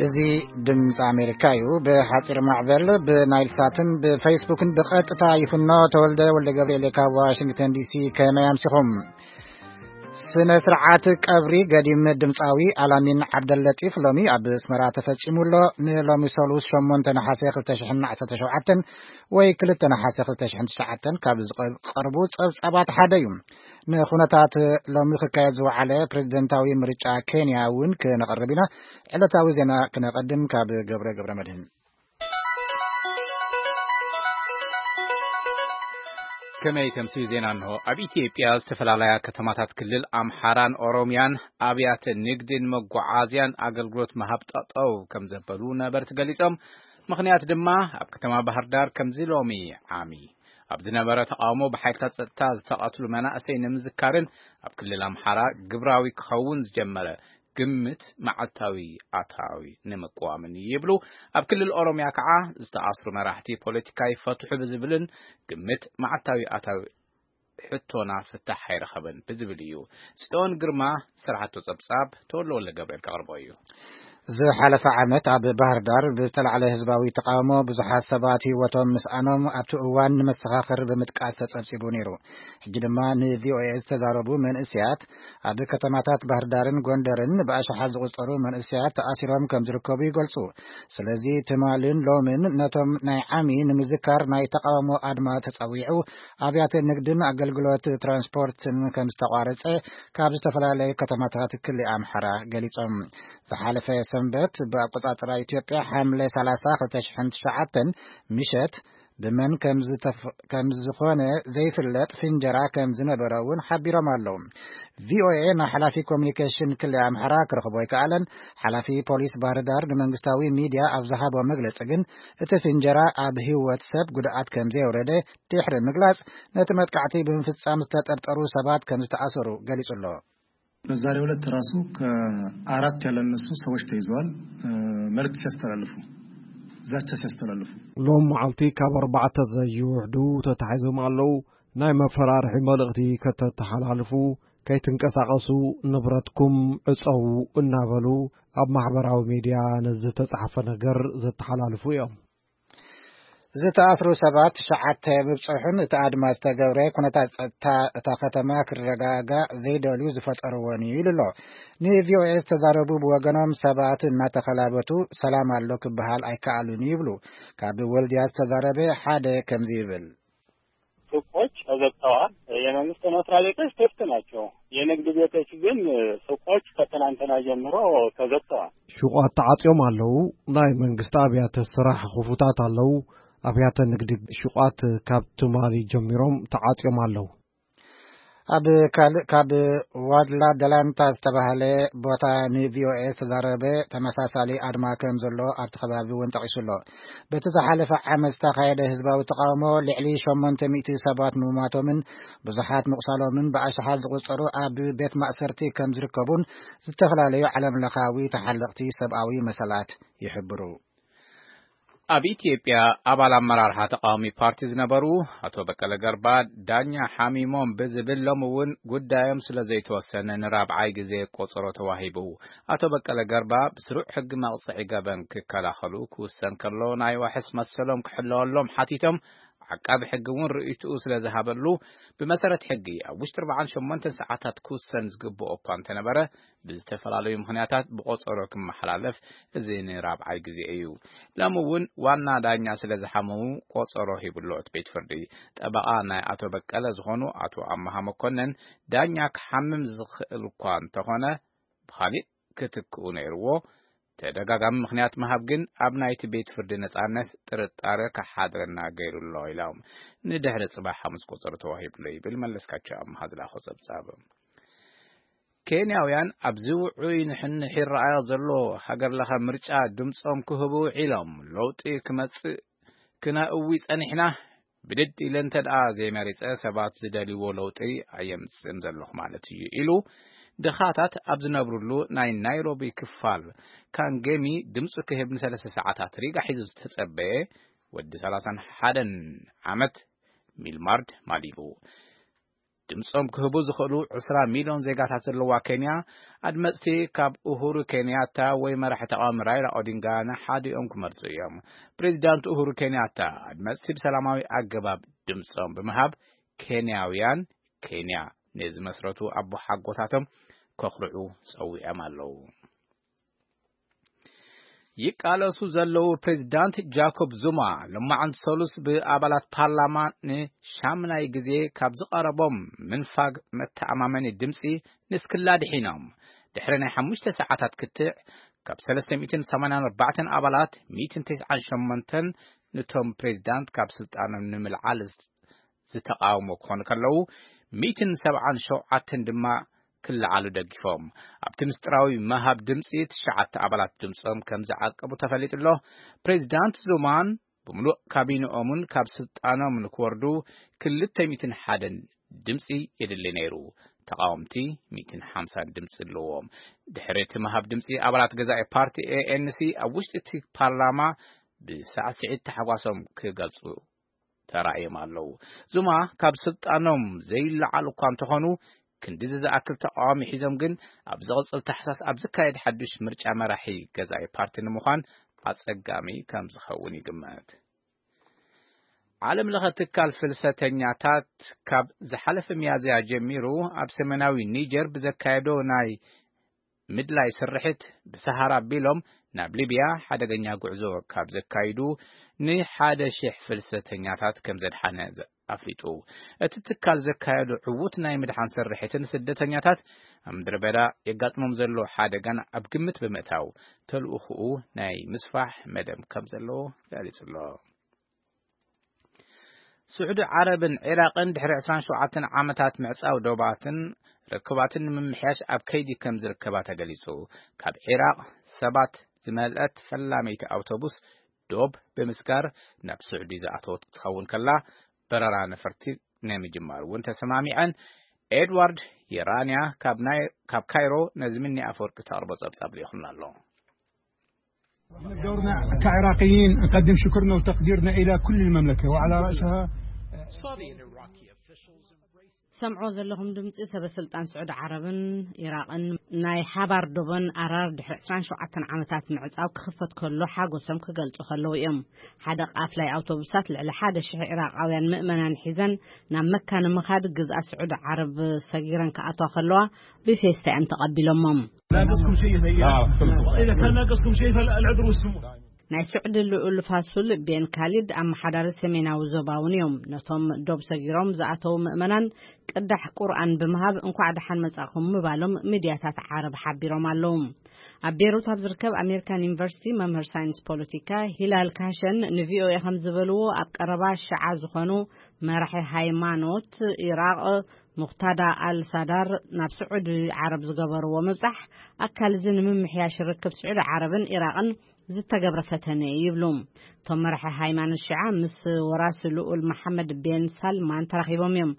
እዚ ድምፂ ኣሜሪካ እዩ። ብሓፂር ማዕበል ብናይል ሳትን ብፌስቡክን ብቐጥታ ይፍኖ። ተወልደ ወልደ ገብርኤል ካብ ዋሽንግተን ዲሲ። ከመይ ኣምሲኹም? ስነ ስርዓት ቀብሪ ገዲም ድምፃዊ ኣላሚን ዓብደለጢፍ ሎሚ ኣብ ኣስመራ ተፈጺሙ ኣሎ። ንሎሚ ሰሉስ ሸሞንተ ነሓሰ ክልተ ሽሕን ዓሰርተ ሸውዓተን ወይ ክልተ ነሓሰ ክልተ ሽሕን ትሽዓተን ካብ ዝቐርቡ ጸብጻባት ሓደ እዩ። ንኹነታት ሎሚ ክካየድ ዝወዓለ ፕሬዝደንታዊ ምርጫ ኬንያ እውን ክነቕርብ ኢና። ዕለታዊ ዜና ክነቐድም ካብ ገብረ ገብረ መድህን። ከመይ ተምስዩ ዜና እንሆ። ኣብ ኢትዮጵያ ዝተፈላለያ ከተማታት ክልል ኣምሓራን ኦሮሚያን ኣብያተ ንግድን መጓዓዝያን ኣገልግሎት ምሃብ ጠጠው ከም ዘበሉ ነበርቲ ገሊጾም። ምኽንያት ድማ ኣብ ከተማ ባህር ዳር ከምዚ ሎሚ ዓሚ ኣብ ዝነበረ ተቃውሞ ብሓይልታት ጸጥታ ዝተቐትሉ መናእሰይ ንምዝካርን ኣብ ክልል ኣምሓራ ግብራዊ ክኸውን ዝጀመረ ግምት መዓልታዊ ኣታዊ ንምቅዋምን ይብሉ። ኣብ ክልል ኦሮሚያ ከዓ ዝተኣስሩ መራሕቲ ፖለቲካ ይፈትሑ ብዝብልን ግምት መዓልታዊ ኣታዊ ሕቶና ፍታሕ ኣይረኸበን ብዝብል እዩ። ጽዮን ግርማ ዝሰርሓቶ ጸብጻብ ተወልደ ወልደ ገብርኤል ከቕርቦ እዩ። ዝሓለፈ ዓመት ኣብ ባህር ዳር ብዝተላዕለ ህዝባዊ ተቃውሞ ብዙሓት ሰባት ህይወቶም ምስኣኖም ኣብቲ እዋን ንመሰኻኽር ብምጥቃስ ተጸብጺቡ ነይሩ። ሕጂ ድማ ንቪኦኤ ዝተዛረቡ መንእስያት ኣብ ከተማታት ባህር ዳርን ጎንደርን ብኣሽሓት ዝቑጸሩ መንእስያት ተኣሲሮም ከም ዝርከቡ ይገልጹ። ስለዚ ትማልን ሎምን ነቶም ናይ ዓሚ ንምዝካር ናይ ተቃውሞ ኣድማ ተጸዊዑ ኣብያተ ንግድን ኣገልግሎት ትራንስፖርትን ከም ዝተቋረጸ ካብ ዝተፈላለዩ ከተማታት ክልል ኣምሓራ ገሊጾም። ዝሓለፈ ሰንበት ብኣቆጻጽራ ኢትዮጵያ ሓምለ ሰላሳ ክልተ ሽሕን ትሽዓተን ምሸት ብመን ከም ዝተፍ-፣ ከም ዝኾነ ዘይፍለጥ ፍንጀራ ከም ዝነበረ እውን ሓቢሮም ኣለዉ። ቪኦኤ ናይ ሓላፊ ኮሚኒኬሽን ክልል ኣምሓራ ክረኽቦ ኣይከኣለን። ሓላፊ ፖሊስ ባህር ዳር ንመንግስታዊ ሚድያ ኣብ ዝሃቦ መግለጺ ግን እቲ ፍንጀራ ኣብ ህይወት ሰብ ጉድኣት ከም ዘየውረደ ድሕሪ ምግላጽ ነቲ መጥቃዕቲ ብምፍጻም ዝተጠርጠሩ ሰባት ከም ዝተኣሰሩ ገሊጹ ኣሎ። በዛሬው ዕለት ራሱ ከአራት ያላነሱ ሰዎች ተይዘዋል። እ፣ መልእክት ሲያስተላልፉ፣ ዛቻ ሲያስተላልፉ። ሎም መዓልቲ ካብ ኣርባዕተ ዘይውሕዱ ተታሒዞም ኣለዉ። ናይ መፈራርሒ መልእኽቲ ከተተሓላልፉ፣ ከይትንቀሳቐሱ፣ ንብረትኩም ዕጸዉ እናበሉ ኣብ ማሕበራዊ ሚድያ ነዚ ዝተጻሕፈ ነገር ዘተሓላልፉ እዮም። ዝተኣስሩ ሰባት ትሽዓተ ምብጽሑን እቲ ኣድማ ዝተገብረ ኩነታት ጸጥታ እታ ከተማ ክረጋጋእ ዘይደልዩ ዝፈጠርዎን እዩ ኢሉ ኣሎ። ንቪኦኤ ዝተዛረቡ ብወገኖም ሰባት እናተኸላበቱ ሰላም ኣሎ ክበሃል ኣይከኣሉን ይብሉ። ካብ ወልድያ ዝተዛረበ ሓደ ከምዚ ይብል። ሱቆች ተዘግተዋል። የመንግስት መስሪያ ቤቶች ክፍት ናቸው። የንግድ ቤቶች ግን ሱቆች ከትናንትና ጀምሮ ተዘግተዋል። ሹቋት ተዓጽዮም ኣለዉ። ናይ መንግስቲ ኣብያተ ስራሕ ክፉታት ኣለዉ። ኣብያተ ንግዲ ሹቋት ካብ ትማሊ ጀሚሮም ተዓጽዮም ኣለዉ። ኣብ ካልእ ካብ ዋድላ ደላንታ ዝተባህለ ቦታ ንቪኦኤ ዝተዛረበ ተመሳሳሊ ኣድማ ከም ዘሎ ኣብቲ ከባቢ እውን ጠቒሱ ኣሎ። በቲ ዝሓለፈ ዓመት ዝተኻየደ ህዝባዊ ተቃውሞ ልዕሊ ሸሞንተ ሚእቲ ሰባት ምሟቶምን ብዙሓት ምቑሳሎምን ብኣሽሓት ዝቑጸሩ ኣብ ቤት ማእሰርቲ ከም ዝርከቡን ዝተፈላለዩ ዓለም ለኻዊ ተሓለቕቲ ሰብኣዊ መሰላት ይሕብሩ። ኣብ ኢትዮጵያ ኣባል ኣመራርሓ ተቃዋሚ ፓርቲ ዝነበሩ ኣቶ በቀለ ገርባ ዳኛ ሓሚሞም ብዝብል ሎም እውን ጉዳዮም ስለ ዘይተወሰነ ንራብዓይ ግዜ ቆጸሮ ተዋሂቡ። ኣቶ በቀለ ገርባ ብስሩዕ ሕጊ መቕጽዒ ገበን ክከላኸሉ ክውሰን ከሎ ናይ ዋሕስ መሰሎም ክሕለወሎም ሓቲቶም ዓቃቢ ሕጊ እውን ርእይትኡ ስለ ዝሃበሉ ብመሰረት ሕጊ ኣብ ውሽጢ ኣርባዓን ሸሞንተን ሰዓታት ክውሰን ዝግብኦ እኳ እንተነበረ ብዝተፈላለዩ ምኽንያታት ብቆጸሮ ክመሓላለፍ እዚ ንራብዓይ ግዜ እዩ። ሎሚ እውን ዋና ዳኛ ስለ ዝሓመሙ ቆጸሮ ሂብሎ እቲ ቤት ፍርዲ። ጠበቓ ናይ ኣቶ በቀለ ዝኾኑ ኣቶ ኣመሃ መኮነን ዳኛ ክሓምም ዝኽእል እኳ እንተኾነ ብኻሊእ ክትክኡ ነይርዎ። ተደጋጋሚ ምኽንያት ምሃብ ግን ኣብ ናይቲ ቤት ፍርዲ ነጻነት ጥርጣረ ክሓድረና ገይሩ ኣሎ ኢሎም። ንድሕሪ ጽባሕ ሓሙስ ቆጸሮ ተዋሂብሎ ይብል መለስካቸው ኣመሃ ዝላኾ ጸብጻብ። ኬንያውያን ኣብዚ ውዑይ ንሕንሕ ይረኣዮ ዘሎ ሃገር ለኸ ምርጫ ድምጾም ክህቡ ውዒሎም። ለውጢ ክመጽእ ክነእዊ ጸኒሕና፣ ብድድ ኢለ እንተ ደኣ ዘይመሪጸ ሰባት ዝደልይዎ ለውጢ ኣየምጽእን ዘለኹ ማለት እዩ ኢሉ ድኻታት ኣብ ዝነብሩሉ ናይ ናይሮቢ ክፋል ካንጌሚ ድምጹ ክህብ ንሰለስተ ሰዓታት ሪጋ ሒዙ ዝተጸበየ ወዲ ሰላሳን ሓደን ዓመት ሚልማርድ ማሊቡ። ድምጾም ክህቡ ዝኽእሉ ዕስራ ሚልዮን ዜጋታት ዘለዋ ኬንያ፣ ኣድመጽቲ ካብ ኡሁሩ ኬንያታ ወይ መራሒ ተቃዋሚ ራይላ ኦዲንጋ ንሓዲኦም ክመርጹ እዮም። ፕሬዚዳንት ኡሁሩ ኬንያታ፣ ኣድመጽቲ ብሰላማዊ ኣገባብ ድምጾም ብምሃብ፣ ኬንያውያን ኬንያ ንዝመስረቱ ኣቦሓጎታቶም ከኹርዑ ጸዊዖም ኣለዉ። ይቃለሱ ዘለዉ ፕሬዚዳንት ጃኮብ ዙማ፣ ሎማዓንቲ ሰሉስ ብኣባላት ፓርላማ ንሻምናይ ግዜ ካብ ዝቐረቦም ምንፋግ መተኣማመኒ ድምጺ ንስክላ ድሒኖም። ድሕሪ ናይ ሓሙሽተ ሰዓታት ክትዕ፣ ካብ ሰለስተ ሚእትን ሰማንያን ኣርባዕተን ኣባላት፣ ሚእትን ተስዓን ሸሞንተን ነቶም ፕሬዚዳንት ካብ ስልጣኖም ንምልዓል ዝተቃወሞ ክኾኑ ከለዉ፣ ሚእትን ሰብዓን ሸውዓተን ድማ ክለዓሉ ደጊፎም። ኣብቲ ምስጢራዊ ምሃብ ድምጺ፣ ትሽዓተ ኣባላት ድምጾም ከም ዝዓቀቡ ተፈሊጡ ኣሎ። ፕሬዚዳንት ዙማን ብምሉእ ካቢንኦምን ካብ ስልጣኖም ንክወርዱ ክልተ ሚእትን ሓደን ድምጺ የድሊ ነይሩ። ተቃወምቲ ሚእትን ሓምሳን ድምጺ ኣለዎም። ድሕሪ እቲ ምሃብ ድምጺ፣ ኣባላት ገዛኢ ፓርቲ ኤ ኤን ሲ ኣብ ውሽጢ እቲ ፓርላማ ብሳዕስዒት ታሕጓሶም ክገልጹ ተራእዮም ኣለዉ። ዙማ ካብ ስልጣኖም ዘይለዓሉ እኳ እንተኾኑ፣ ክንድዚ ዝኣክል ተቃዋሚ ሒዞም ግን፣ ኣብ ዝቕጽል ታሕሳስ ኣብ ዝካየድ ሓድሽ ምርጫ መራሒ ገዛኢ ፓርቲ ንምዃን ኣጸጋሚ ከም ዝኸውን ይግመት። ዓለም ለኸ ትካል ፍልሰተኛታት፣ ካብ ዝሓለፈ ሚያዝያ ጀሚሩ ኣብ ሰሜናዊ ኒጀር ብዘካየዶ ናይ ምድላይ ስርሒት፣ ብሰሃራ ኣቢሎም ናብ ሊብያ ሓደገኛ ጉዕዞ ካብ ዘካይዱ ንሓደ ሺሕ ፍልሰተኛታት ከም ዘድሓነ ዘ-፣ ኣፍሊጡ። እቲ ትካል ዘካየዶ ዕዉት ናይ ምድሓን ስርሒትን ስደተኛታት ኣብ ምድረ በዳ የጋጥሞም ዘሎ ሓደጋን ኣብ ግምት ብምእታው፣ ተልእኾኡ ናይ ምስፋሕ መደብ ከም ዘለዎ ገሊጹ ኣሎ። ስዑዲ ዓረብን ዒራቕን ድሕሪ ዕስራን ሸውዓተን ዓመታት ምዕጻው ዶባትን ርክባትን ንምምሕያሽ ኣብ ከይዲ ከም ዝርከባ ተገሊጹ። ካብ ዒራቕ ሰባት ዝመልአት ፈላመይቲ ኣውቶቡስ ዶብ ብምስጋር ናብ ስዑዲ ዝኣተወት ክትኸውን ከላ፣ በረራ ነፈርቲ ናይ ምጅማር እውን ተሰማሚዐን። ኤድዋርድ የራንያ ካብ ናይ-፣ ካብ ካይሮ ነዚ ምኒ ኣፈወርቂ ተቕርቦ ጸብጻብ ልኢኹልና ኣሎ። دورنا كعراقيين نقدم شكرنا وتقديرنا إلى كل المملكة وعلى رأسها ሰምዖ ዘለኹም ድምፂ ሰበ ስልጣን ስዑዲ ዓረብን ኢራቕን ናይ ሓባር ዶቦን ኣራር ድሕሪ ዕስራን ሸውዓተን ዓመታት ምዕፃው ክኽፈት ከሎ ሓጎሶም ክገልፁ ከለዉ እዮም። ሓደ ቃፍላይ ኣውቶቡሳት ልዕሊ ሓደ ሽሕ ኢራቓውያን ምእመናን ሒዘን ናብ መካ ንምኻድ ግዝኣት ስዑዲ ዓረብ ሰጊረን ክኣትዋ ከለዋ ብፌስታ እዮም ተቐቢሎሞም። ناقصكم شيء يا إذا كان ناقصكم شيء فالعذر والسمو. ናይ ስዑዲ ልኡል ፋሱል ቤን ካሊድ ኣመሓዳሪ ሰሜናዊ ዞባ እውን እዮም። ነቶም ዶብ ሰጊሮም ዝኣተዉ ምእመናን ቅዳሕ ቁርኣን ብምሃብ እንኳዕ ደሓን መጻእኹም ምባሎም ሚድያታት ዓረብ ሓቢሮም ኣለዉ። ኣብ ቤሩት ኣብ ዝርከብ ኣሜሪካን ዩኒቨርሲቲ መምህር ሳይንስ ፖለቲካ ሂላል ካሸን ንቪኦኤ ከም ዝበልዎ፣ ኣብ ቀረባ ሽዓ ዝኾኑ መራሒ ሃይማኖት ኢራቕ ሙኽታዳ ኣል ሳዳር ናብ ስዑዲ ዓረብ ዝገበርዎ ምብጻሕ ኣካል እዚ ንምምሕያሽ ርክብ ስዑዲ ዓረብን ኢራቕን ዝተገብረ ፈተነ እዩ ይብሉ። እቶም መራሒ ሃይማኖት ሽዓ ምስ ወራሲ ልኡል መሓመድ ቤን ሳልማን ተራኺቦም እዮም።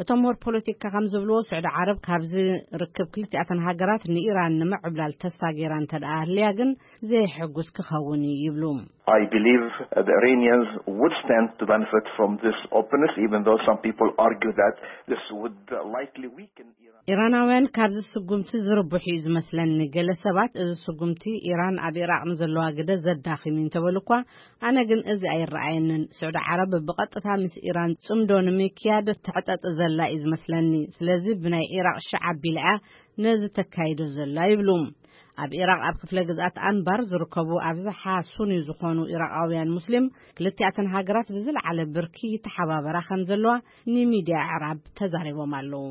እቶም ምሁር ፖለቲካ ከም ዝብልዎ፣ ስዑዲ ዓረብ ካብዚ ርክብ ክልቲኣተን ሃገራት ንኢራን ንምዕብላል ተስፋ ገይራ እንተ ደኣ ኣህልያ ግን ዘየሕጉስ ክኸውን እዩ ይብሉ። I believe the Iranians would stand to benefit from this openness, even though some people argue that this would uh, likely weaken Iran. ኢራናውያን ካብዚ ስጉምቲ ዝርብሑ እዩ ዝመስለኒ። ገለ ሰባት እዚ ስጉምቲ ኢራን ኣብ ኢራቕ ንዘለዋ ግደ ዘዳኺም እዩ እንተበሉ እኳ፣ ኣነ ግን እዚ ኣይረኣየንን። ስዑዲ ዓረብ ብቐጥታ ምስ ኢራን ጽምዶ ንምክያድ ትሕጠጥ ዘላ እዩ ዝመስለኒ። ስለዚ ብናይ ኢራቕ ሽዓ ኣቢላ እያ ነዚ ተካይዶ ዘላ ይብሉ። ኣብ ኢራቕ ኣብ ክፍለ ግዝኣት ኣንባር ዝርከቡ ኣብዝሓ ሱኒ ዝኾኑ ኢራቓውያን ሙስሊም፣ ክልቲኣተን ሃገራት ብዝለዓለ ብርኪ ይተሓባበራ ከም ዘለዋ ንሚድያ ኣዕራብ ተዛሪቦም ኣለዉ።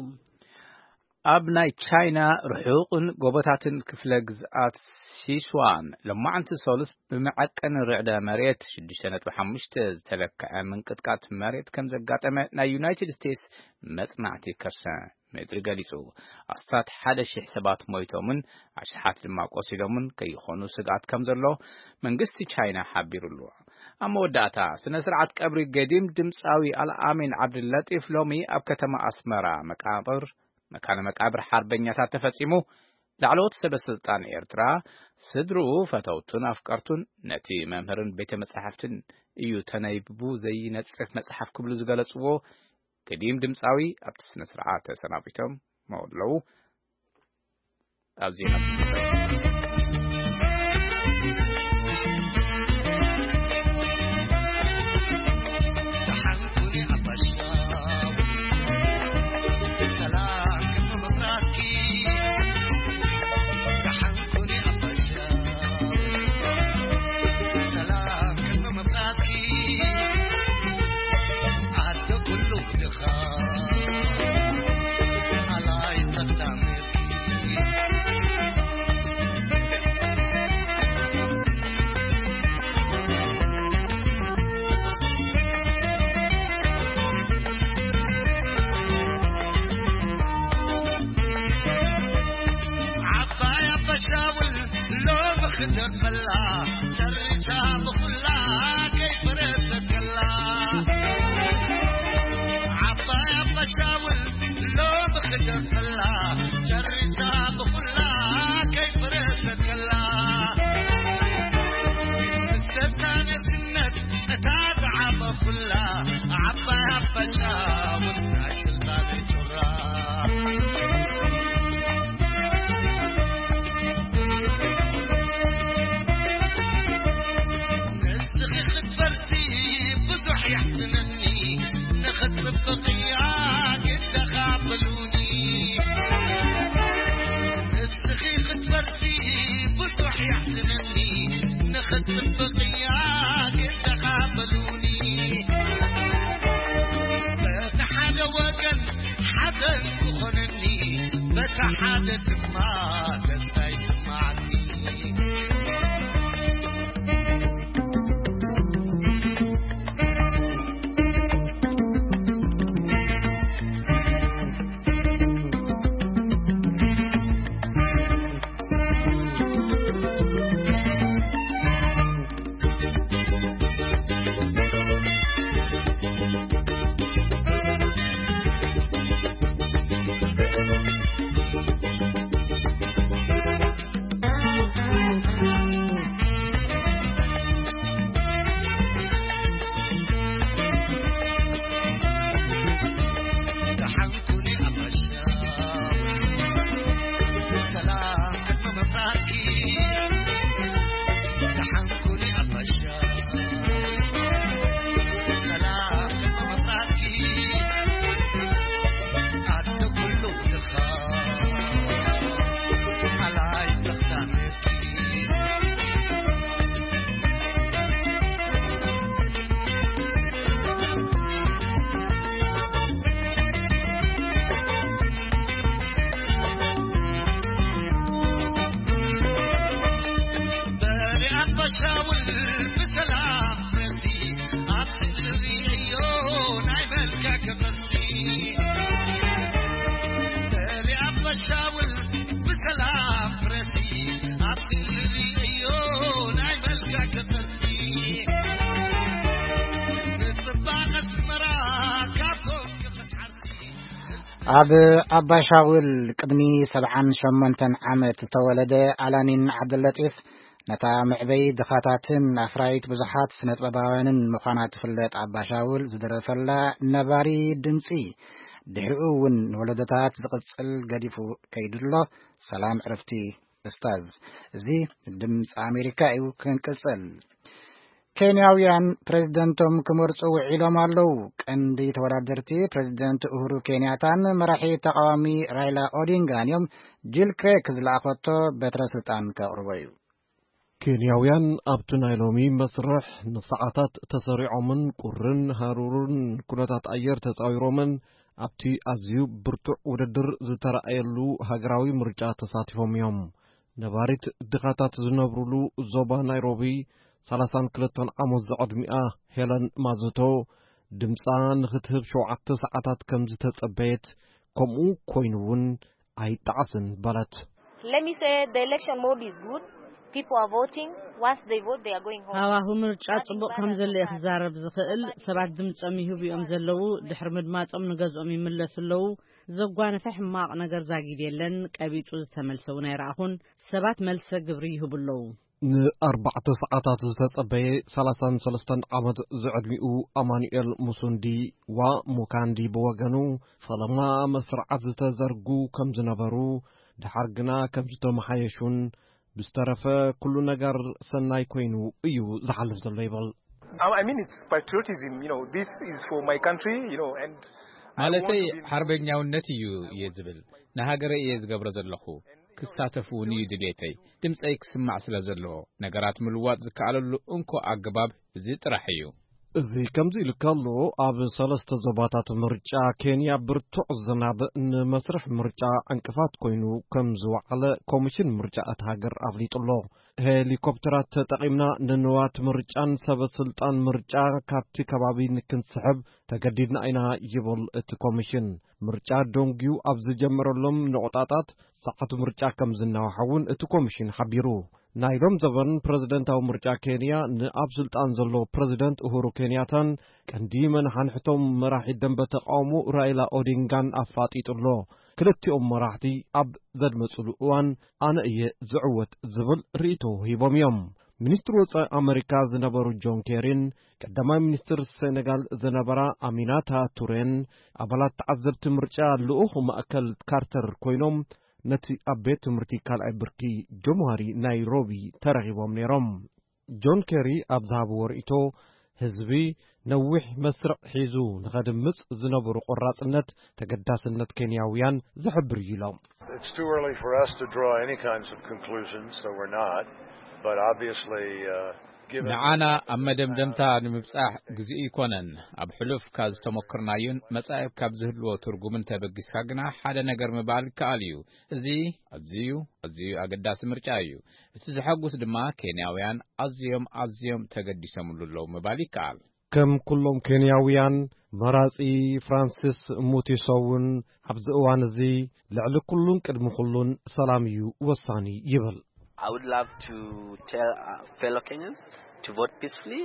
ኣብ ናይ ቻይና ርሑቕን ጎቦታትን ክፍለ ግዝኣት ሲስዋን፣ ሎማዕንቲ ሰሉስ ብመዐቀኒ ርዕደ መሬት ሽዱሽተ ነጥቢ ሓሙሽተ ዝተለክዐ ምንቅጥቃጥ መሬት ከም ዘጋጠመ ናይ ዩናይትድ ስቴትስ መጽናዕቲ ከርሰ ምድሪ ገሊጹ። ኣስታት ሓደ ሺሕ ሰባት ሞይቶምን ኣሽሓት ድማ ቆሲሎምን ከይኾኑ ስግኣት ከም ዘሎ መንግስቲ ቻይና ሓቢሩ ኣሎ። ኣብ መወዳእታ፣ ስነ ስርዓት ቀብሪ ገዲም ድምፃዊ ኣልኣሚን ዓብድለጢፍ ሎሚ ኣብ ከተማ ኣስመራ መቃብር፣ መካነ መቃብር ሓርበኛታት ተፈጺሙ። ላዕለዎት ሰበ ስልጣን ኤርትራ፣ ስድርኡ፣ ፈተውቱን ኣፍቀርቱን፣ ነቲ መምህርን ቤተ መጻሕፍትን እዩ ተነይብቡ ዘይነጽፍ መጽሓፍ ክብሉ ዝገለጽዎ ገዲም ድምፃዊ ኣብቲ ስነ ስርዓት ተሰናቢቶም ኣለዉ። ኣብ ዜና ዓባይ ኣባሻውል ሎሚ ክደርፈላ ጨሪሳ ብኹላ ከይፈረሰት ከላ። ዓባይ ኣባሻውል ሎሚ ክደርፈላ ጨሪሳ ብኹላ ከይፈረሰት ከላ። ምስተታ ነግነት እታ ዝዓበኹላ ዓባይ ኣባሻውል ናይ ስልጣነይ ጩራ። ንስኺ ክትፈርሲ ብዙሕ የሕዝነኒ፣ ንኽትጽብቕያ ግደኻ በሉኒ። ንስኺ ክትፈርሲ ብዙሕ የሕዝነኒ፣ ንኽትጽብቕያ ግደኻ በሉኒ። በቲ ሓደ ወገን ሓዘን ክኾነኒ፣ በቲ ሓደ ድማ ደስታ ይስማዓኒ። ኣብ ኣባሻውል ቅድሚ ሰብዓን ሸሞንተን ዓመት ዝተወለደ ኣላኒን ዓብደለጢፍ፣ ነታ መዕበይ ድኻታትን ኣፍራይት ብዙሓት ስነጥበባውያንን ምዃና ትፍለጥ ኣባሻውል ዝደረፈላ ነባሪ ድምጺ፣ ድሕሪኡ እውን ንወለዶታት ዝቕጽል ገዲፉ ከይዱ ኣሎ። ሰላም ዕረፍቲ ኡስታዝ። እዚ ድምፂ ኣሜሪካ እዩ። ክንቅፅል። ኬንያውያን ፕሬዝደንቶም ክመርፁ ውዒሎም ኣለዉ። ቀንዲ ተወዳደርቲ ፕሬዝደንት ኡሁሩ ኬንያታን መራሒ ተቃዋሚ ራይላ ኦዲንጋን እዮም። ጂል ክሬክ ዝለኣኸቶ በትረ ስልጣን ከቕርቦ እዩ። ኬንያውያን ኣብቲ ናይ ሎሚ መስርሕ ንሰዓታት ተሰሪዖምን ቁርን ሃሩርን ኩነታት ኣየር ተጻዊሮምን ኣብቲ ኣዝዩ ብርቱዕ ውድድር ዝተራእየሉ ሃገራዊ ምርጫ ተሳቲፎም እዮም። ነባሪት ድኻታት ዝነብሩሉ ዞባ ናይሮቢ፣ ሰላሳን ክልተን ዓመት ዝዕድሚኣ ሄለን ማዝቶ፣ ድምጻ ንኽትህብ ሸውዓተ ሰዓታት ከም ዝተጸበየት፣ ከምኡ ኮይኑ እውን ኣይጠዓስን በለት። Let me say the election mode is good. People are voting. Once they vote, they are going home. ሃዋሁ ምርጫ ጽቡቕ ከም ዘሎ እየ ክዛረብ ዝኽእል። ሰባት ድምጾም ይህቡ እዮም ዘለዉ። ድሕሪ ምድማጾም ንገዝኦም ይምለሱ ኣለዉ። ዘጓነፈ ሕማቕ ነገር ዛጊድ የለን። ቀቢጹ ዝተመልሰ እውን ኣይረኣኹን። ሰባት መልሰ ግብሪ ይህቡ ኣለዉ። ንኣርባዕተ ሰዓታት ዝተጸበየ ሰላሳን ሰለስተን ዓመት ዝዕድሚኡ ኣማኑኤል ሙሱንዲ ዋ ሙካንዲ ብወገኑ፣ ፈለማ መስርዓት ዝተዘርጉ ከም ዝነበሩ፣ ድሓር ግና ከም ዝተመሓየሹን ብዝተረፈ ኩሉ ነገር ሰናይ ኮይኑ እዩ ዝሓልፍ ዘሎ ይብል። I mean, it's patriotism, you know, this is for my country, you know, and I don't ማለተይ want to be ሓርበኛውነት እዩ እየ ዝብል። ንሃገረይ እየ ዝገብሮ ዘለኹ። ክሳተፍ እውን እዩ ድሌተይ። ድምፀይ ክስማዕ ስለ ዘለዎ፣ ነገራት ምልዋጥ ዝከኣለሉ እንኮ ኣገባብ እዚ ጥራሕ እዩ። እዚ ከምዚ ኢሉ ከሎ፣ ኣብ ሰለስተ ዞባታት ምርጫ ኬንያ ብርቱዕ ዝናብ ንመስርሕ ምርጫ ዕንቅፋት ኮይኑ ከም ዝወዓለ ኮሚሽን ምርጫ እታ ሃገር ኣፍሊጡ ኣሎ። ሄሊኮፕተራት ተጠቒምና ንንዋት ምርጫን ሰበ ስልጣን ምርጫ ካብቲ ከባቢ ንክንስሕብ ተገዲድና ኢና ይብል እቲ ኮሚሽን። ምርጫ ደንጉዩ ኣብ ዝጀመረሎም ነቑጣጣት ሰዓት ምርጫ ከም ዝናዋሓ እውን እቲ ኮሚሽን ሓቢሩ። ናይ ሎም ዘበን ፕረዚደንታዊ ምርጫ ኬንያ ንኣብ ስልጣን ዘሎ ፕረዚደንት ኡሁሩ ኬንያታን ቀንዲ መናሓንሕቶም መራሒ ደንበ ተቃውሞ ራይላ ኦዲንጋን ኣፋጢጡ ኣሎ። ክልቲኦም መራሕቲ ኣብ ዘድመፅሉ እዋን ኣነ እየ ዝዕወት ዝብል ርእይቶ ሂቦም እዮም። ሚኒስትር ወፃኢ ኣመሪካ ዝነበሩ ጆን ኬሪን ቀዳማይ ሚኒስትር ሴኔጋል ዝነበራ ኣሚናታ ቱሬን ኣባላት ተዓዘብቲ ምርጫ ልኡኽ ማእከል ካርተር ኮይኖም ነቲ ኣብ ቤት ትምህርቲ ካልኣይ ብርኪ ጀምሃሪ ናይሮቢ ተረኺቦም ነይሮም። ጆን ኬሪ ኣብ ዝሃብዎ ርእይቶ፣ ህዝቢ ነዊሕ መስርዕ ሒዙ ንኸድምጽ ዝነበሩ ቆራጽነት ተገዳስነት ኬንያውያን ዝሕብር እዩ ኢሎም። It's too early for us to draw any kinds of conclusions, so we're not. But obviously, uh, given ንዓና ኣብ መደምደምታ ንምብጻሕ ግዜኡ ይኮነን። ኣብ ሕሉፍ ካብ ዝተሞክርናዩን መጻኢ ካብ ዝህልዎ ትርጉምን ተበጊስካ ግና ሓደ ነገር ምባል ይከኣል እዩ። እዚ ኣዝዩ ኣዝዩ ኣገዳሲ ምርጫ እዩ። እቲ ዘሐጉስ ድማ ኬንያውያን ኣዝዮም ኣዝዮም ተገዲሶምሉ ኣለዉ ምባል ይከኣል። ከም ኩሎም ኬንያውያን፣ መራጺ ፍራንሲስ ሙቲሶ እውን ኣብዚ እዋን እዚ ልዕሊ ኩሉን ቅድሚ ኩሉን ሰላም እዩ ወሳኒ ይብል። I would love to tell uh, fellow Kenyans to vote peacefully.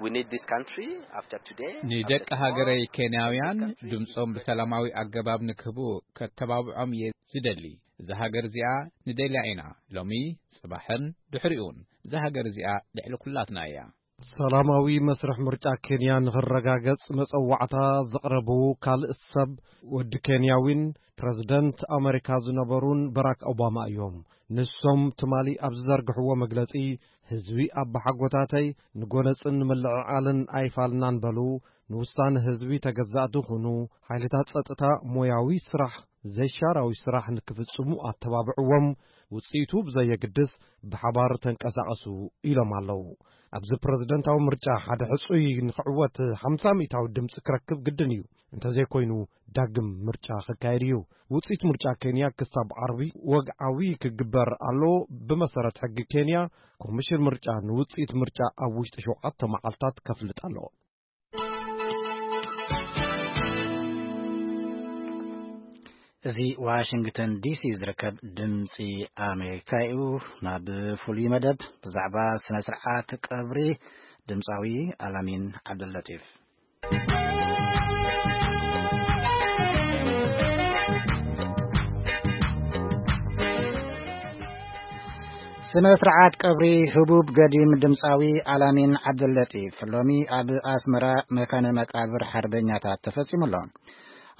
We need this country after today. ንደቂ ሃገረይ ኬንያውያን ድምጾም ብሰላማዊ ኣገባብ ንክህቡ ከተባብዖም እየ ዝደሊ። እዛ ሃገር እዚኣ ንደልያ ኢና፣ ሎሚ፣ ጽባሕን ድሕሪኡን። እዛ ሃገር እዚኣ ልዕሊ ኩላትና እያ። ሰላማዊ መስርሕ ምርጫ ኬንያ ንኽረጋገጽ መጸዋዕታ ዘቕረቡ ካልእ ሰብ ወዲ ኬንያዊን ፕረዚደንት ኣመሪካ ዝነበሩን በራክ ኦባማ እዮም። ንሶም ትማሊ ኣብ ዝዘርግሕዎ መግለጺ፣ ህዝቢ ኣባሓጎታተይ ንጎነጽን ንምልዕዓልን ኣይፋልናን በሉ። ንውሳነ ህዝቢ ተገዛእቲ ኩኑ። ሓይልታት ጸጥታ ሞያዊ ስራሕ፣ ዘይሻራዊ ስራሕ ንክፍጽሙ ኣተባብዕዎም። ውጽኢቱ ብዘየግድስ ብሓባር ተንቀሳቐሱ ኢሎም ኣለዉ። ኣብዚ ፕረዚደንታዊ ምርጫ ሓደ ሕጹይ ንኽዕወት ሓምሳ ሚእታዊ ድምጺ ክረክብ ግድን እዩ። እንተዘይኮይኑ ዳግም ምርጫ ክካየድ እዩ። ውጽኢት ምርጫ ኬንያ ክሳብ ዓርቢ ወግዓዊ ክግበር ኣሎ። ብመሰረት ሕጊ ኬንያ፣ ኮሚሽን ምርጫ ንውጽኢት ምርጫ ኣብ ውሽጢ ሸውዓተ መዓልታት ከፍልጥ ኣለዎ። እዚ ዋሽንግተን ዲሲ ዝርከብ ድምፂ ኣሜሪካ እዩ። ናብ ፍሉይ መደብ ብዛዕባ ስነ ስርዓት ቀብሪ ድምፃዊ ኣላሚን ዓብደልለጢፍ። ስነ ስርዓት ቀብሪ ህቡብ ገዲም ድምፃዊ ኣላሚን ዓብደልለጢፍ ሎሚ ኣብ ኣስመራ መካነ መቃብር ሓርበኛታት ተፈጺሙ ኣሎ።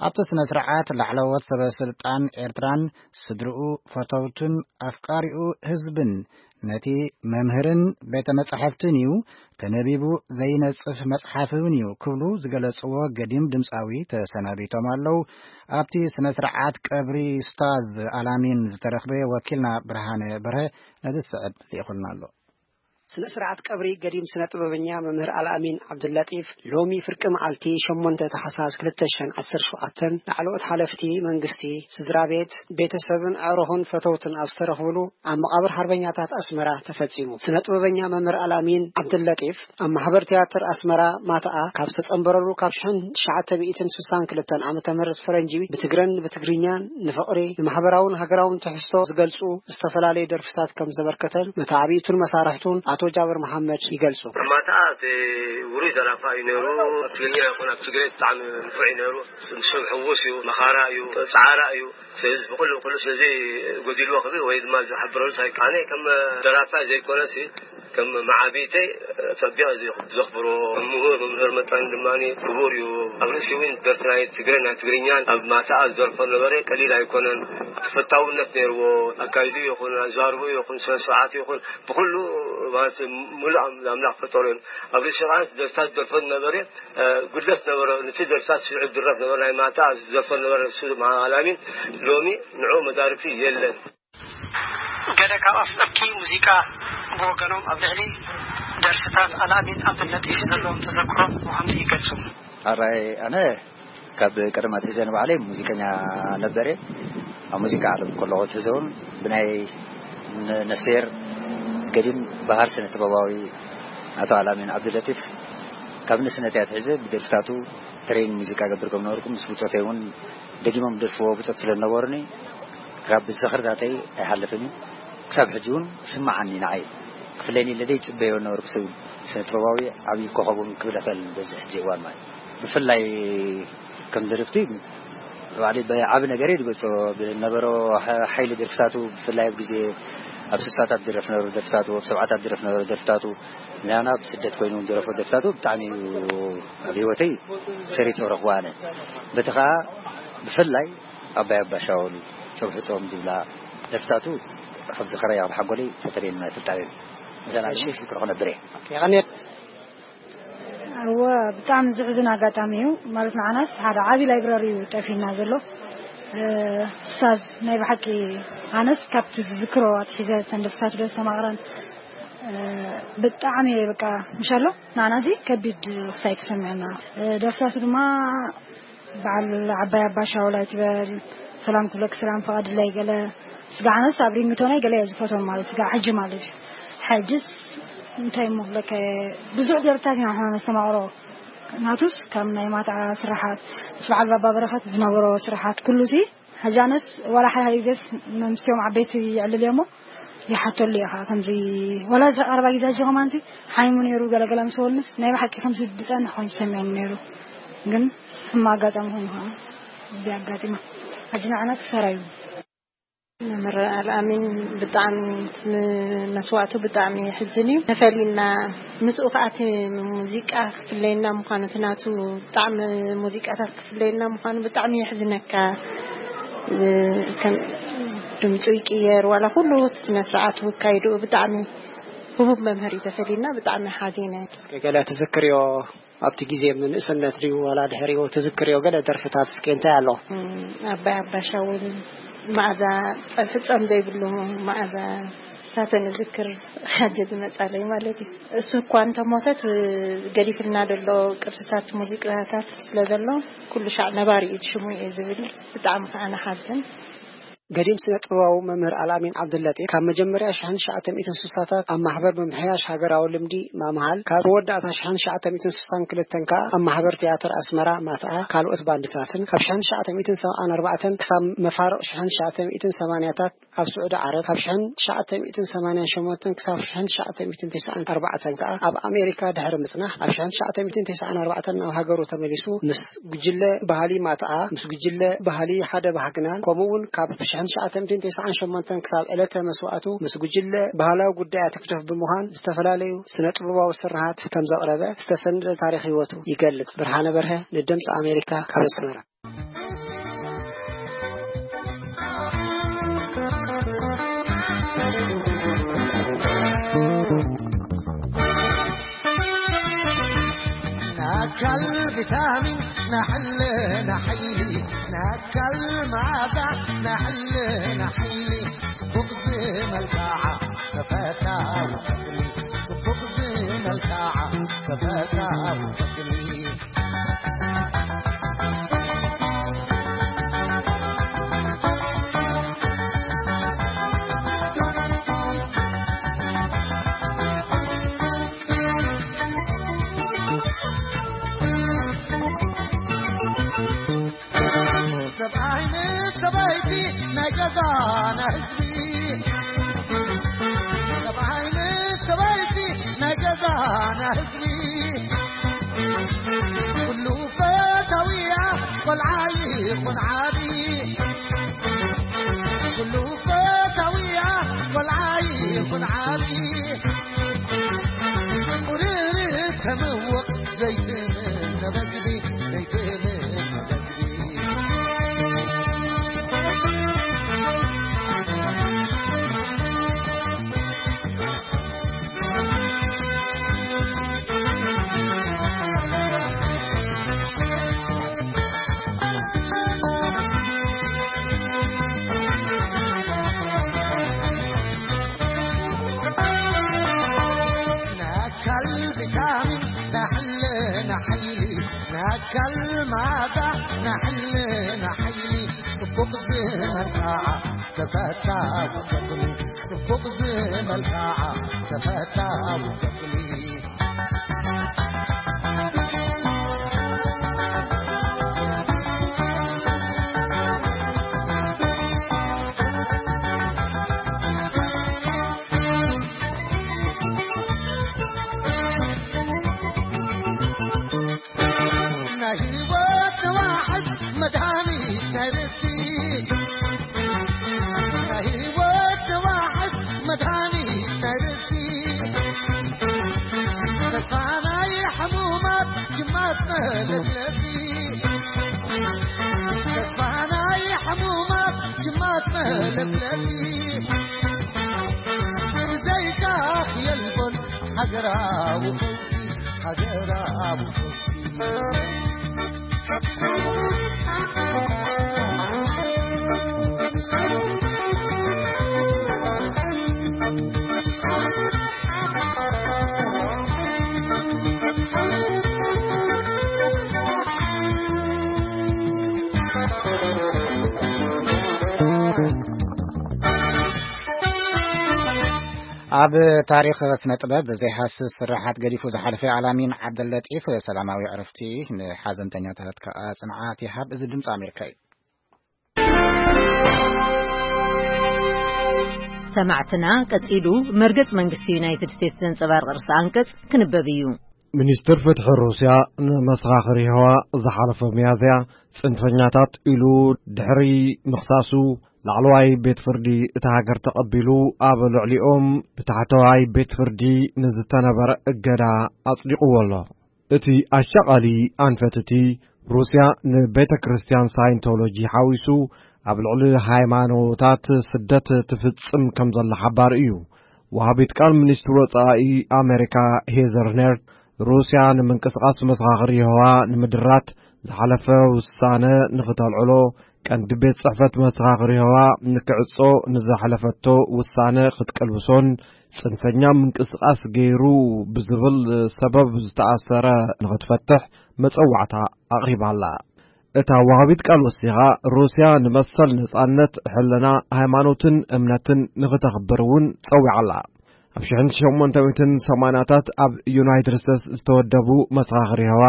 ኣብቲ ስነ ስርዓት ላዕለዎት ሰበ ስልጣን ኤርትራን ስድርኡ፣ ፈተውቱን ኣፍቃሪኡ ህዝብን ነቲ መምህርን ቤተ መጻሕፍትን እዩ፣ ተነቢቡ ዘይነጽፍ መጽሓፍ እውን እዩ ክብሉ ዝገለጽዎ ገዲም ድምፃዊ ተሰናቢቶም ኣለዉ። ኣብቲ ስነ ስርዓት ቀብሪ ስታዝ ኣላሚን ዝተረኽበ ወኪልና ብርሃነ በርሀ ነዚ ዝስዕብ ልኢኹልና ኣሎ። ስነ ስርዓት ቀብሪ ገዲም ስነ ጥበበኛ መምህር ኣልኣሚን ዓብዱላጢፍ ሎሚ ፍርቂ መዓልቲ ሸሞንተ ታሕሳስ ክልተ ሽሕን ዓሰርተ ሸውዓተን ላዕለዎት ሓለፍቲ መንግስቲ፣ ስድራ ቤት፣ ቤተሰብን ኣዕሩኽን ፈተውትን ኣብ ዝተረኽብሉ ኣብ መቓብር ሓርበኛታት ኣስመራ ተፈጺሙ። ስነ ጥበበኛ መምህር ኣልኣሚን ዓብዱላጢፍ ኣብ ማሕበር ትያትር ኣስመራ ማትኣ ካብ ዝተጸንበረሉ ካብ ሽሕን ትሽዓተ ሚእትን ስሳን ክልተን ዓመተ ምህረት ፈረንጂ ብትግረን ብትግርኛን ንፍቕሪ ንማሕበራውን ሃገራውን ትሕዝቶ ዝገልጹ ዝተፈላለዩ ደርፍታት ከም ዘበርከተን መተዓብይቱን መሳርሕቱን ኣቶ ጃብር መሓመድ ይገልጹ። ማታ እቲ ውሩይ ደራፋ እዩ ነይሩ። ኣብ ትግርኛ ይኹን ኣብ ትግሬ ብጣዕሚ ንፉዕ እዩ ነይሩ። ስም ሕዉስ እዩ፣ መኻራ እዩ፣ ጻዕራ እዩ። ስለዚ ብኹሉ፣ ኩሉ ስለዚ ጎዲልዎ ክብል ወይ ድማ ዝሕብረሉ ሳይክ ኣነ ከም ደራፋ ዘይኮነሲ ከም መዓቢተይ ጸቢቐ ዘኽብሮ ምሁር፣ መምህር መጠን ድማ ክቡር እዩ። ኣብ ርእሲ እውን ደርፊ ናይ ትግረ ናይ ትግርኛን ኣብ ማታኣ ዝደርፎ ነበረ ቀሊል ኣይኮነን። ተፈታውነት ነይርዎ። ኣካይዱ ይኹን ኣዛርቡ ይኹን ስነ ስርዓት ይኹን ብኹሉ ማለት ሙሉእ ኣም- ኣምላኽ ፈጠሩ እዮም። ኣብ ርእሲ ቃል ደርፍታት ዝደርፎ ነበረ፣ እ፣ ጉድለት ነበረ። ነቲ ደርፍታት ስዒድ ድረፍ ነበረ፣ ናይ ማታ ዝደርፎ ነበረ። ንሱ ድማ ኣላሚን ሎሚ ንዑ መዳርግቲ የለን። ገለ ካብ ኣፍቀርቲ ሙዚቃ ብወገኖም ኣብ ልዕሊ ደርፍታት ኣላሚን ኣብነት ዘለዎም ተዘክሮ ብኸምዚ ይገልጹ። ኣራይ ኣነ ካብ ቀደም ኣትሒዘ ንባዕለይ ሙዚቀኛ ነበር እየ። ኣብ ሙዚቃ ዓለም ከለኹ ኣትሒዘ እውን ብናይ ነ- ነፍስሄር ገዲም በሃር ስነ ጥበባዊ ኣቶ ኣላሚን ዓብዱለጢፍ ካብ ንእስነተይ ኣትሒዘ ብደርፍታቱ ትሬን ሙዚቃ ገብር ከም ነበርኩ ምስ ብጾተይ እውን ደጊሞም ደርፍዎ ብጾት ስለ ዝነበሩኒ ካብ ዝኽርታተይ ኣይሓልፍን እዩ። ክሳብ ሕጂ እውን ስማዓኒ ንዓይ ክፍለኒ ኢለ ደይ ጽበዮ ነበርኩ ሰብ ስነ ጥበባዊ ዓብዪ ኮኸብ እውን ክብል ኣይክእልን በዚ ሕጂ እዋን ማለት ብፍላይ ከም ደርፍቲ ባዕሊ ብዓቢ ነገር እየ ዝገልጾ። ብነበሮ ሓ- ሓይሊ ደርፍታቱ ብፍላይ ኣብ ግዜ ኣብ ስሳታት ድረፍ ነበሩ ደርፍታቱ ኣብ ሰብዓታት ድረፍ ነበሩ ደርፍታቱ ናና ብስደት ኮይኑ ዝረፎ ደርፍታቱ ብጣዕሚ እዩ ኣብ ህይወተይ ሰሪት ረኽቦ ኣነ በቲ ከዓ ብፍላይ ኣባይ ኣባሻወሉ ጸብሑ ጾም ዝብላ ደርፍታቱ ካብ ዝኸረይ ኣብ ሓጎለይ ተፈለየና ፍልጣቤ መሰላ ሽፍ ክረኹ ነብረ የቐኔት እወ ብጣዕሚ ዝሕዝን ኣጋጣሚ እዩ። ማለት ንዓናስ ሓደ ዓብዪ ላይብረሪ እዩ ጠፊና ዘሎ። እ፣ ስታዝ ናይ ብሓቂ ኣነስ ካብቲ ዝዝክሮ ኣትሒዘ ተንደፍታት ዶ ዝተማቕረን እ፣ ብጣዕሚ እየ በቃ ምሻሎ ንዓናዚ ከቢድ ክሳይ ተሰምዐና። እ፣ ደርፍታቱ ድማ በዓል ዓባይ ኣባ ሻውል ኣይትበል፣ ሰላም ክብለክ ሰላም ፍቐድለይ ገለ ስጋዕነስ ኣብ ሪንግቶነይ ገለ እየ ዝፈትዎም ማለት ስጋዕ ሕጂ ማለት እዩ። ሕጅስ እንታይ እሞ ክብለካ እየ፣ ብዙሕ ደርፍታት ኢና ንሕና ነስተማቕሮ። ናቱስ ካብ ናይ ማትዓ ስራሓት ምስ በዓል ባባ በረኸት ዝነበሮ ስራሓት ኩሉ ሲ ሕጂ ኣነስ ዋላ ሓደ ሓደ ግዜስ መምስትዮም ዓበይቲ ይዕልል እየ እሞ ይሓተሉ እየ ከዓ ከምዚ ዋላ እዚ ቀረባ ግዜ ሕጂ ከማንቲ ሓይሙ ነይሩ ገለገለ ምስ በሉንስ ናይ ብሓቂ ከምዚ ዝፀንሕ ኮይኑ ሰሚዐኒ ነይሩ። ግን ሕማ ኣጋጣሚ ኮይኑ ከዓ እዚ ኣጋጢማ ሕጂ ንዓና ክሳራ እዩ። መምህር ኣልኣሚን ብጣዕሚ መስዋእቱ ብጣዕሚ የሕዝን እዩ። ተፈሊና ምስኡ ከዓ እቲ ሙዚቃ ክፍለየና ምዃኑ እቲ ናቱ ብጣዕሚ ሙዚቃታት ክፍለየና ምዃኑ ብጣዕሚ የሕዝነካ። ከም ድምፁ ይቅየር ዋላ ኩሉ እቲ ስነ ስርዓቱ ኣካይድኡ ብጣዕሚ ህቡብ መምህር እዩ ተፈሊና ብጣዕሚ ሓዚነ። ገለ ትዝክርዮ ኣብቲ ግዜ ምንእስነት ድዩ ዋላ ድሕሪኡ ትዝክርዮ ገለ ደርፍታት እስኪ እንታይ ኣሎ? ኣባይ ኣባሻ እውን መኣዛ ፀብሒ ፆም ዘይብሉ መኣዛ ሳተ ንዝክር ሓጀ ዝመፃለይ ማለት እዩ። እሱ እኳ እንተሞተት ገዲፍልና ዘሎ ቅርስታት ሙዚቃታት ስለ ዘሎ ኩሉ ሻዕ ነባሪ እዩ ሽሙ እየ ዝብል። ብጣዕሚ ከዓ ንሓዝን። ገዲም ስነ ጥበባዊ መምህር ኣልኣሚን ዓብዱለጢፍ ካብ መጀመርያ ሽሕን ትሽዓተ ሚእትን ስሳታት ኣብ ማሕበር ምምሕያሽ ሃገራዊ ልምዲ ማምሃል ካብ መወዳእታ ሽሕን ትሽዓተ ሚእትን ስሳን ክልተን ከኣ ኣብ ማሕበር ትያትር ኣስመራ ማትዓ ካልኦት ባንድታትን ካብ ሽሕን ትሽዓተ ሚእትን ሰብዓን ኣርባዕተን ክሳብ መፋርቕ ሽሕን ትሽዓተ ሚእትን ሰማንያታት ኣብ ስዑዲ ዓረብ ካብ ሽሕን ትሽዓተ ሚእትን ሰማንያን ሸሞንተን ክሳብ ሽሕን ትሽዓተ ሚእትን ተስዓን ኣርባዕተን ከኣ ኣብ ኣሜሪካ ድሕሪ ምጽናሕ ኣብ ሽሕን ትሽዓተ ሚእትን ተስዓን ኣርባዕተን ናብ ሃገሩ ተመሊሱ ምስ ጉጅለ ባህሊ ማትዓ ምስ ጉጅለ ባህሊ ሓደ ባህግናን ከምኡ እውን ካብ ሽሕን ትሽዓተ ሚእትን ተስዓን ሸሞንተን ክሳብ ዕለተ መስዋእቱ ምስ ጉጅለ ባህላዊ ጉዳያት ህግደፍ ብምዃን ዝተፈላለዩ ስነ ጥበባዊ ስርሓት ከም ዘቕረበ ዝተሰነደ ታሪኽ ህይወቱ ይገልጽ። ብርሃነ በርሀ ንድምፂ ኣሜሪካ ካብ ኣስመራ። ናካል ቪታሚን ናሕለ ናሕይሊ ናካል ማዕዳ ናሕለ ናሕይሊ ጽቡቕ ዝመልክዓ ተፈታዊ ተኽሊ ጽቡቕ ዝመልክዓ ተፈታዊ ተኽሊ ሰብኣይ ምስ ሰበይቲ ናይ ገዛና ህዝቢ ሰብኣይ ምስ ሰበይቲ ህዝቢ ኩሉ ፈታዊያ፣ ቆልዓ ይኹን ዓቢ፣ ኩሉ ፈታዊያ፣ ቆልዓ ይኹን ዓቢ፣ ቁርርብ ተምውቕ ዘይትምነ በግቢ፣ ዘይትምነ በግቢ። ናካል ቪታሚን ናሕለ ናሕይሊ ናካል ማዳ ናሕለ ናሕይሊ ጽቡቕ ዝመልክዓ ተፈታዊ ክፍሊ ጽቡቕ ዝመልክዓ ተፈታዊ ክፍሊ። ናይ ህይወት ዋሕስ መድሃኒት ናይ ርእሲ ናይ ህይወት ዋሕስ መድሃኒት ናይ ርእሲ ተስፋ ናይ ሕሙማት ጅማት መለስለሲ ተስፋ ናይ ሕሙማት ጅማት መለስለሲ ብዘይካ የልቦን ሃገራዊ ፈውሲ ሃገራዊ ፈውሲ። ኣብ ታሪኽ ስነ ጥበብ ዘይሃስስ ስርሓት ገዲፉ ዝሓለፈ ኣላሚን ዓብደለጢፍ ሰላማዊ ዕረፍቲ፣ ንሓዘንተኛታት ከኣ ጽንዓት ይሃብ። እዚ ድምጺ ኣሜሪካ እዩ። ሰማዕትና፣ ቀጺሉ መርገጽ መንግስቲ ዩናይትድ ስቴትስ ዘንጸባርቕ ርእሰ ኣንቀጽ ክንበብ እዩ። ሚኒስትር ፍትሒ ሩስያ ንመሰኻኽር የሆዋ ዝሓለፈ ሚያዝያ ጽንፈኛታት ኢሉ ድሕሪ ምኽሳሱ፣ ላዕለዋይ ቤት ፍርዲ እታ ሃገር ተቐቢሉ፣ ኣብ ልዕሊኦም ብታሕተዋይ ቤት ፍርዲ ንዝተነበረ እገዳ ኣጽዲቕዎ ኣሎ። እቲ ኣሻቓሊ ኣንፈት፣ እቲ ሩስያ ንቤተ ክርስቲያን ሳይንቶሎጂ ሓዊሱ ኣብ ልዕሊ ሃይማኖታት ስደት ትፍጽም ከም ዘላ ሓባሪ እዩ። ወሃቢት ቃል ሚኒስትሪ ወጻኢ ኣሜሪካ ሄዘር ነርት፣ ሩስያ ንምንቅስቓስ መሰኻኽር የሆዋ ንምድራት ዝሓለፈ ውሳነ ንኽተልዕሎ፣ ቀንዲ ቤት ጽሕፈት መሰኻኽር የሆዋ ንክዕጾ ንዝሓለፈቶ ውሳነ ክትቅልብሶን፣ ጽንፈኛ ምንቅስቓስ ገይሩ ብዝብል ሰበብ ዝተኣሰረ ንኽትፈትሕ መጸዋዕታ ኣቕሪባ'ላ። እታ ወሃቢት ቃል ወሲኻ፣ ሩስያ ንመሰል ነጻነት፣ ሕልና፣ ሃይማኖትን እምነትን ንኽተኽብር እውን ጸዊዓ'ላ። ኣብ ሽሕን ሸሞንተ ሚእትን ሰማንያታት ኣብ ዩናይትድ ስቴትስ ዝተወደቡ መሰኻኽር የሆዋ፣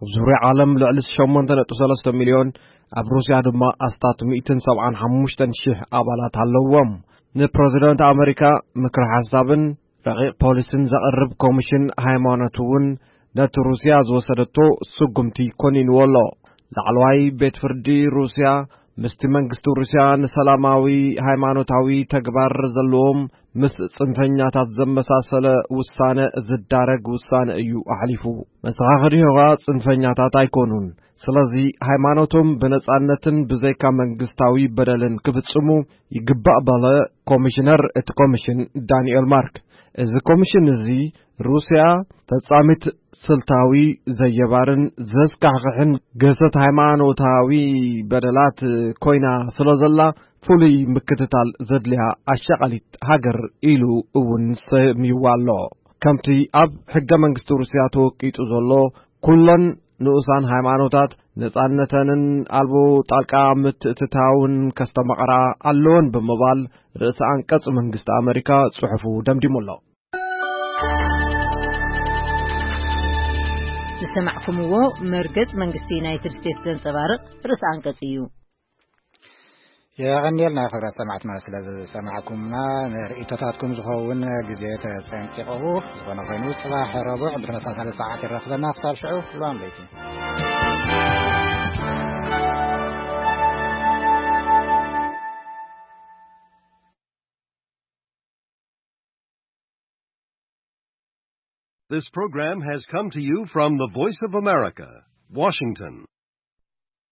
ኣብ ዙርያ ዓለም ልዕሊ ሸሞንተ ነጥቢ ሰለስተ ሚልዮን፣ ኣብ ሩስያ ድማ ኣስታት ሚእትን ሰብዓን ሓሙሽተን ሽሕ ኣባላት ኣለዎም። ንፕረዚደንት ኣመሪካ ምክሪ ሓሳብን ረቂቕ ፖሊስን ዘቕርብ ኮሚሽን ሃይማኖት እውን ነቲ ሩስያ ዝወሰደቶ ስጉምቲ ኮኒንዎ ኣሎ። ላዕለዋይ ቤት ፍርዲ ሩስያ ምስቲ መንግስቲ ሩስያ ንሰላማዊ ሃይማኖታዊ ተግባር ዘለዎም ምስ ጽንፈኛታት ዘመሳሰለ ውሳነ ዝዳረግ ውሳነ እዩ ኣሕሊፉ። መሰኻኽር የሆዋ ጽንፈኛታት ኣይኮኑን። ስለዚ ሃይማኖቶም ብነጻነትን ብዘይካ መንግስታዊ በደልን ክፍጽሙ ይግባእ በለ ኮሚሽነር እቲ ኮሚሽን ዳንኤል ማርክ። እዚ ኮሚሽን እዚ ሩስያ ፈጻሚት ስልታዊ ዘየባርን ዘስካሕክሕን ገሰት ሃይማኖታዊ በደላት ኮይና ስለ ዘላ፣ ፍሉይ ምክትታል ዘድልያ ኣሻቓሊት ሃገር ኢሉ እውን ሰምይዋ ኣሎ። ከምቲ ኣብ ሕገ መንግስቲ ሩስያ ተወቂጡ ዘሎ፣ ኩለን ንኡሳን ሃይማኖታት ነጻነተንን ኣልቦ ጣልቃ ምትእትታውን ከስተማቕራ ኣለወን ብምባል ርእሰ ኣንቀጽ መንግስቲ ኣመሪካ ጽሑፉ ደምዲሙ ኣሎ። ዝሰማዕኩምዎ መርገጽ መንግስቲ ዩናይትድ ስቴትስ ዘንጸባርቕ ርእሰ ኣንቀጽ እዩ። የቐንየልና ክብራት ሰማዕትና ስለ ዝሰማዕኩምና። ንርእይቶታትኩም ዝኸውን ግዜ ተጸንቂቑ። ዝኾነ ኮይኑ፣ ጽባሕ ረቡዕ ብተመሳሳሊ ሰዓት ይረኽበና። ክሳብ ሽዑ፣ ልዋም ለይቲ። This program has come to you from the Voice of America, Washington.